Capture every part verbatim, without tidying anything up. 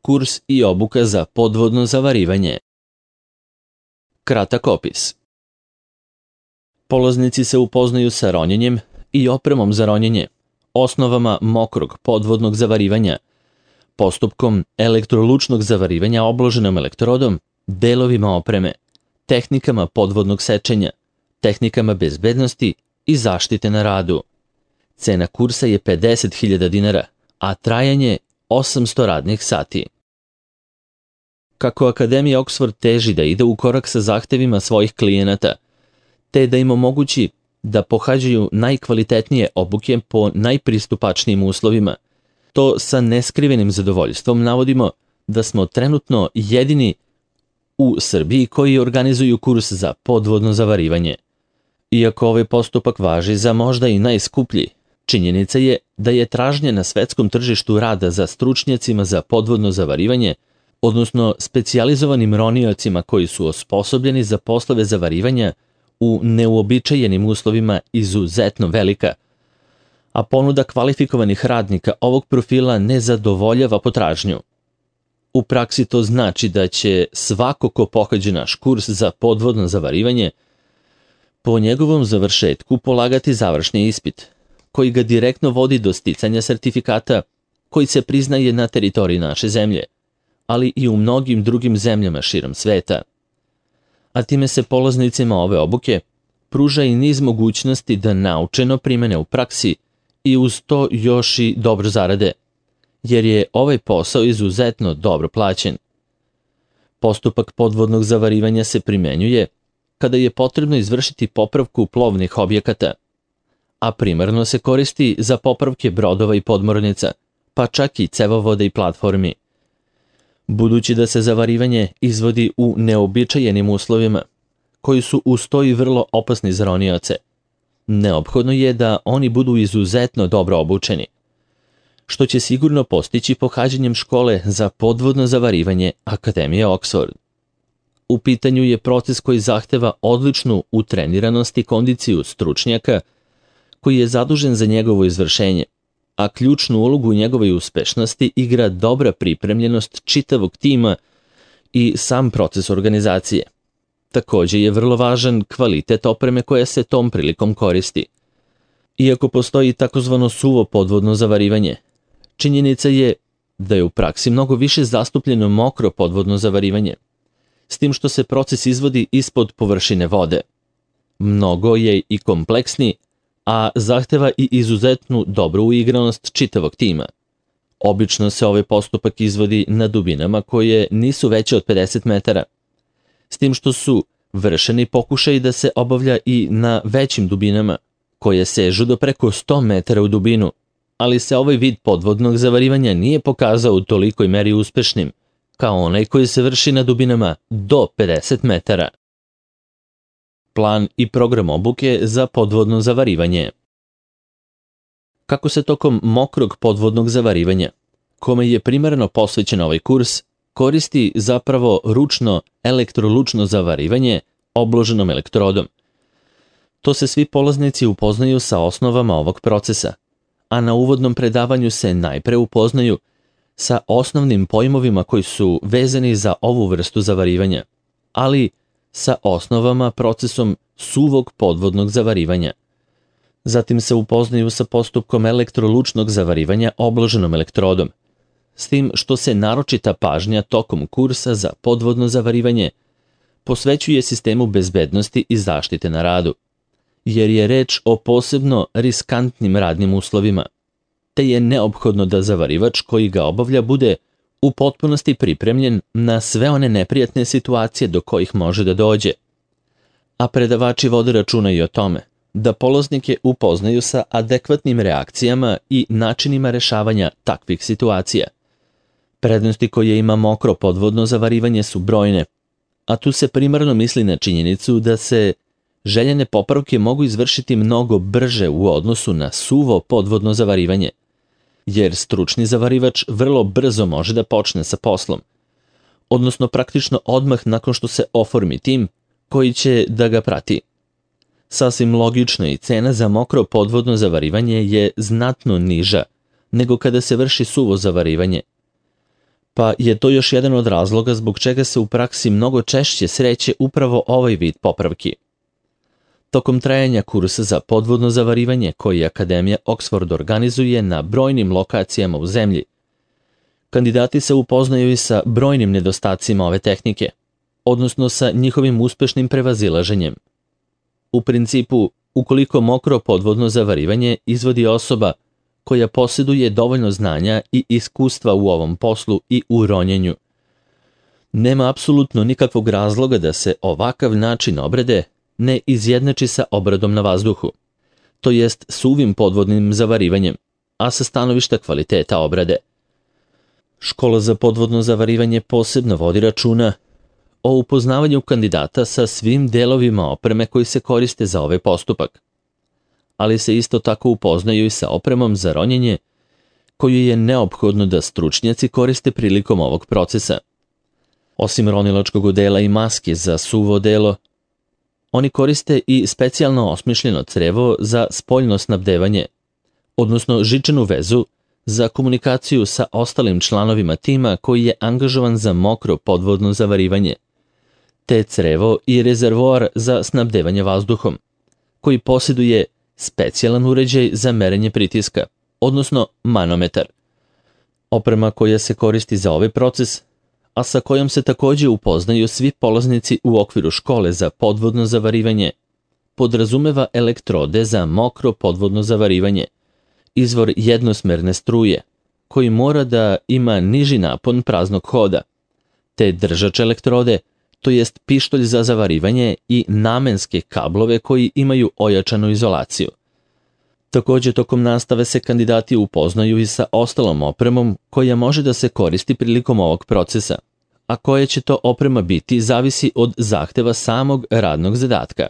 Kurs i obuka za podvodno zavarivanje. Kratak opis. Polaznici se upoznaju sa ronjenjem i opremom za ronjenje, osnovama mokrog podvodnog zavarivanja, postupkom elektrolučnog zavarivanja obloženom elektrodom, delovima opreme, tehnikama podvodnog sečenja, tehnikama bezbednosti i zaštite na radu. Cena kursa je pedeset hiljada dinara, a trajanje osamsto radnih sati. Kako Akademija Oxford teži da ide u korak sa zahtevima svojih klijenata, te da im omogući da pohađaju najkvalitetnije obuke po najpristupačnijim uslovima, to sa neskrivenim zadovoljstvom navodimo da smo trenutno jedini u Srbiji koji organizuju kurs za podvodno zavarivanje. Iako ovaj postupak važi za možda i najskuplji, činjenica je da je tražnja na svetskom tržištu rada za stručnjacima za podvodno zavarivanje, odnosno specijalizovanim roniocima koji su osposobljeni za poslove zavarivanja u neuobičajenim uslovima izuzetno velika, a ponuda kvalifikovanih radnika ovog profila ne zadovoljava potražnju. U praksi to znači da će svako ko pohađe naš kurs za podvodno zavarivanje po njegovom završetku polagati završni ispit, koji ga direktno vodi do sticanja sertifikata koji se priznaje na teritoriji naše zemlje, ali i u mnogim drugim zemljama širom sveta. A time se polaznicima ove obuke pruža i niz mogućnosti da naučeno primene u praksi i uz to još i dobro zarade, jer je ovaj posao izuzetno dobro plaćen. Postupak podvodnog zavarivanja se primenjuje kada je potrebno izvršiti popravku plovnih objekata, a primarno se koristi za popravke brodova i podmornica, pa čak i cevovoda i platformi. Budući da se zavarivanje izvodi u neobičajenim uslovima, koji su uz to i vrlo opasni za ronioce, neophodno je da oni budu izuzetno dobro obučeni, što će sigurno postići pohađanjem škole za podvodno zavarivanje Akademije Oxford. U pitanju je proces koji zahteva odličnu utreniranost i kondiciju stručnjaka koji je zadužen za njegovo izvršenje, a ključnu ulogu u njegovoj uspešnosti igra dobra pripremljenost čitavog tima i sam proces organizacije. Također je vrlo važan kvalitet opreme koja se tom prilikom koristi. Iako postoji takozvano suvo podvodno zavarivanje, činjenica je da je u praksi mnogo više zastupljeno mokro podvodno zavarivanje, s tim što se proces izvodi ispod površine vode. Mnogo je i kompleksniji, a zahteva i izuzetnu dobru uigranost čitavog tima. Obično se ovaj postupak izvodi na dubinama koje nisu veće od pedeset metara, s tim što su vršeni pokušaji da se obavlja i na većim dubinama, koje sežu do preko sto metara u dubinu, ali se ovaj vid podvodnog zavarivanja nije pokazao u tolikoj meri uspešnim, kao onaj koji se vrši na dubinama do pedeset metara. Plan i program obuke za podvodno zavarivanje. Kako se tokom mokrog podvodnog zavarivanja, kome je primarno posvećen ovaj kurs, koristi zapravo ručno elektrolučno zavarivanje obloženom elektrodom. To se svi polaznici upoznaju sa osnovama ovog procesa, a na uvodnom predavanju se najpre upoznaju sa osnovnim pojmovima koji su vezani za ovu vrstu zavarivanja, ali sa osnovama procesom suvog podvodnog zavarivanja. Zatim se upoznaju sa postupkom elektrolučnog zavarivanja obloženom elektrodom, s tim što se naročita pažnja tokom kursa za podvodno zavarivanje posvećuje sistemu bezbednosti i zaštite na radu, jer je reč o posebno riskantnim radnim uslovima, te je neophodno da zavarivač koji ga obavlja bude u potpunosti pripremljen na sve one neprijatne situacije do kojih može da dođe. A predavači vode računa i o tome da polaznike upoznaju sa adekvatnim reakcijama i načinima rešavanja takvih situacija. Prednosti koje ima mokro podvodno zavarivanje su brojne, a tu se primarno misli na činjenicu da se željene popravke mogu izvršiti mnogo brže u odnosu na suvo podvodno zavarivanje, jer stručni zavarivač vrlo brzo može da počne sa poslom, odnosno praktično odmah nakon što se oformi tim koji će da ga prati. Sasvim logično i cena za mokro podvodno zavarivanje je znatno niža nego kada se vrši suvo zavarivanje. Pa je to još jedan od razloga zbog čega se u praksi mnogo češće sreće upravo ovaj vid popravki. Tokom trajanja kursa za podvodno zavarivanje koji Akademija Oxford organizuje na brojnim lokacijama u zemlji, kandidati se upoznaju i sa brojnim nedostacima ove tehnike, odnosno sa njihovim uspešnim prevazilaženjem. U principu, ukoliko mokro podvodno zavarivanje izvodi osoba koja posjeduje dovoljno znanja i iskustva u ovom poslu i u ronjenju, nema apsolutno nikakvog razloga da se ovakav način obrade ne izjednači sa obradom na vazduhu, to jest suvim podvodnim zavarivanjem, a sa stanovišta kvaliteta obrade. Škola za podvodno zavarivanje posebno vodi računa o upoznavanju kandidata sa svim delovima opreme koji se koriste za ovaj postupak, ali se isto tako upoznaju i sa opremom za ronjenje koju je neophodno da stručnjaci koriste prilikom ovog procesa. Osim ronilačkog odela i maske za suvo odelo, oni koriste i specijalno osmišljeno crevo za spoljno snabdevanje, odnosno žičanu vezu za komunikaciju sa ostalim članovima tima koji je angažovan za mokro podvodno zavarivanje, te crevo i rezervoar za snabdevanje vazduhom, koji posjeduje specijalan uređaj za merenje pritiska, odnosno manometar. Oprema koja se koristi za ovaj proces, a sa kojom se također upoznaju svi polaznici u okviru škole za podvodno zavarivanje, podrazumeva elektrode za mokro podvodno zavarivanje, izvor jednosmerne struje, koji mora da ima niži napon praznog hoda, te držač elektrode, to jest pištolj za zavarivanje i namenske kablove koji imaju ojačanu izolaciju. Također, tokom nastave se kandidati upoznaju i sa ostalom opremom koja može da se koristi prilikom ovog procesa, a koja će to oprema biti zavisi od zahteva samog radnog zadatka.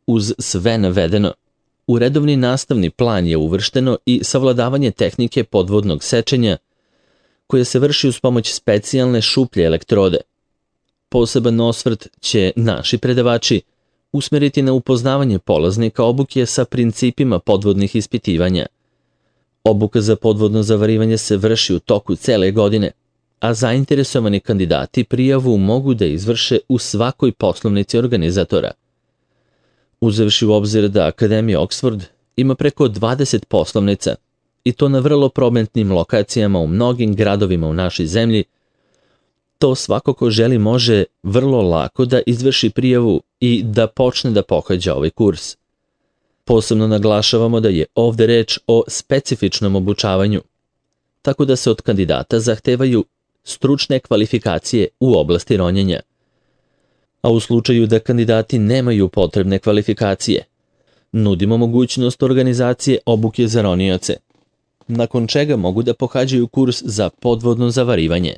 Uz sve navedeno, u redovni nastavni plan je uvršteno i savladavanje tehnike podvodnog sečenja koja se vrši uz pomoć specijalne šuplje elektrode. Poseban osvrt će naši predavači usmeriti na upoznavanje polaznika obuke sa principima podvodnih ispitivanja. Obuka za podvodno zavarivanje se vrši u toku cele godine, a zainteresovani kandidati prijavu mogu da izvrše u svakoj poslovnici organizatora. Uzevši u obzir da Akademija Oxford ima preko dvadeset poslovnica, i to na vrlo prometnim lokacijama u mnogim gradovima u našoj zemlji, to svako ko želi može vrlo lako da izvrši prijavu i da počne da pohađa ovaj kurs. Posebno naglašavamo da je ovde reč o specifičnom obučavanju, tako da se od kandidata zahtevaju stručne kvalifikacije u oblasti ronjenja. A u slučaju da kandidati nemaju potrebne kvalifikacije, nudimo mogućnost organizacije obuke za ronioce, nakon čega mogu da pohađaju kurs za podvodno zavarivanje.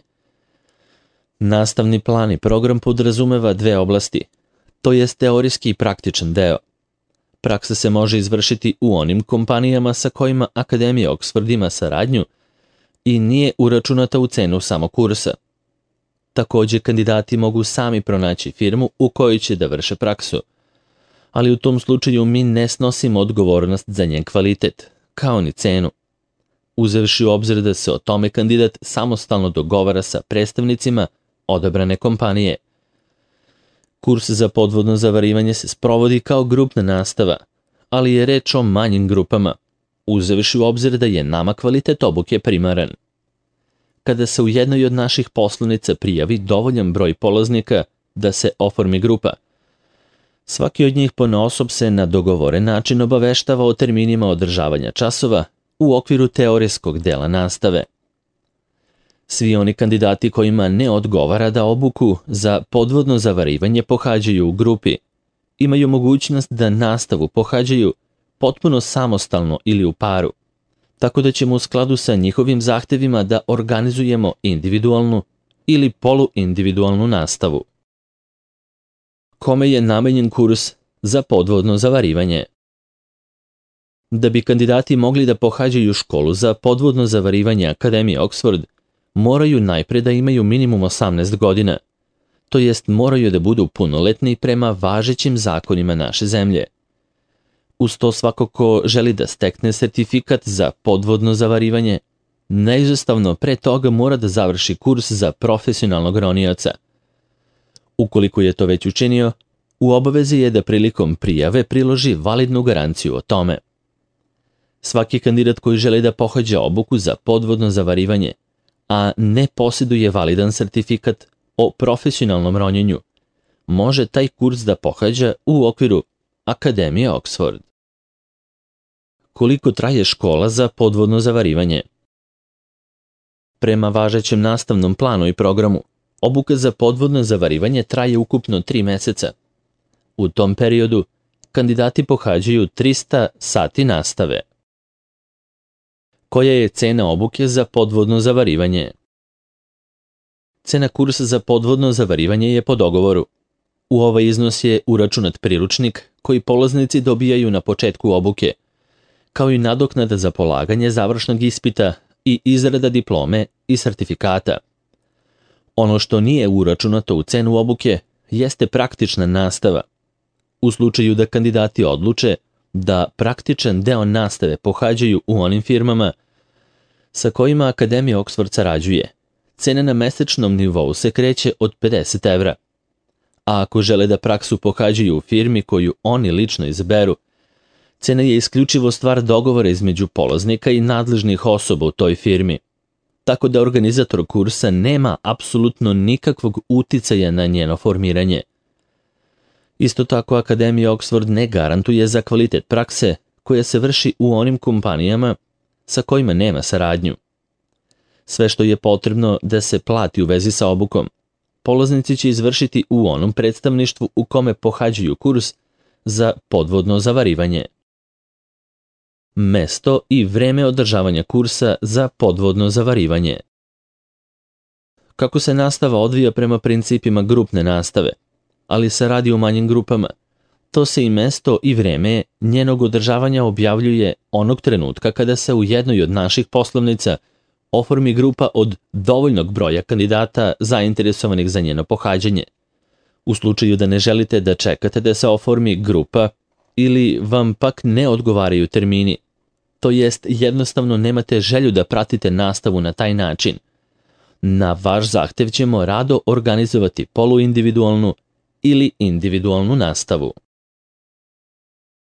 Nastavni plan i program podrazumeva dve oblasti, to jest teorijski i praktičan deo. Praksa se može izvršiti u onim kompanijama sa kojima Akademija Oxford ima saradnju i nije uračunata u cenu samog kursa. Također, kandidati mogu sami pronaći firmu u kojoj će da vrše praksu, ali u tom slučaju mi ne snosimo odgovornost za njen kvalitet, kao ni cenu. Uzevši u obzir da se o tome kandidat samostalno dogovara sa predstavnicima odabrane kompanije. Kurs za podvodno zavarivanje se sprovodi kao grupna nastava, ali je reč o manjim grupama, uzevši u obzir da je nama kvalitet obuke primaran. Kada se u jednoj od naših poslovnica prijavi dovoljan broj polaznika da se oformi grupa, svaki od njih ponaosob se na dogovoren način obaveštava o terminima održavanja časova u okviru teorijskog dela nastave. Svi oni kandidati kojima ne odgovara da obuku za podvodno zavarivanje pohađaju u grupi, imaju mogućnost da nastavu pohađaju potpuno samostalno ili u paru, tako da ćemo u skladu sa njihovim zahtevima da organizujemo individualnu ili poluindividualnu nastavu. Kome je namenjen kurs za podvodno zavarivanje? Da bi kandidati mogli da pohađaju školu za podvodno zavarivanje Akademije Oxford, moraju najpre da imaju minimum osamnaest godina, to jest moraju da budu punoletni prema važećim zakonima naše zemlje. Uz to svako ko želi da stekne sertifikat za podvodno zavarivanje, neizostavno pre toga mora da završi kurs za profesionalnog ronioca. Ukoliko je to već učinio, u obavezi je da prilikom prijave priloži validnu garanciju o tome. Svaki kandidat koji želi da pohađa obuku za podvodno zavarivanje, a ne posjeduje validan sertifikat o profesionalnom ronjenju, može taj kurs da pohađa u okviru Akademije Oxford. Koliko traje škola za podvodno zavarivanje? Prema važećem nastavnom planu i programu, obuka za podvodno zavarivanje traje ukupno tri meseca. U tom periodu, kandidati pohađaju trista sati nastave. Koja je cena obuke za podvodno zavarivanje? Cena kursa za podvodno zavarivanje je po dogovoru. U ovaj iznos je uračunat priručnik koji polaznici dobijaju na početku obuke, kao i nadoknada za polaganje završnog ispita i izrada diplome i sertifikata. Ono što nije uračunato u cenu obuke jeste praktična nastava. U slučaju da kandidati odluče da praktičan deo nastave pohađaju u onim firmama sa kojima Akademija Oxford sarađuje, cena na mesečnom nivou se kreće od pedeset evra. A ako žele da praksu pohađaju u firmi koju oni lično izaberu, cena je isključivo stvar dogovora između polaznika i nadležnih osoba u toj firmi, tako da organizator kursa nema apsolutno nikakvog uticaja na njeno formiranje. Isto tako, Akademija Oxford ne garantuje za kvalitet prakse koja se vrši u onim kompanijama sa kojima nema saradnju. Sve što je potrebno da se plati u vezi sa obukom, polaznici će izvršiti u onom predstavništvu u kome pohađaju kurs za podvodno zavarivanje. Mesto i vreme održavanja kursa za podvodno zavarivanje. Kako se nastava odvija prema principima grupne nastave, ali se radi o manjim grupama, to se i mesto i vreme njenog održavanja objavljuje onog trenutka kada se u jednoj od naših poslovnica oformi grupa od dovoljnog broja kandidata zainteresovanih za njeno pohađanje. U slučaju da ne želite da čekate da se oformi grupa ili vam pak ne odgovaraju termini, to jest jednostavno nemate želju da pratite nastavu na taj način, na vaš zahtev ćemo rado organizovati poluindividualnu ili individualnu nastavu.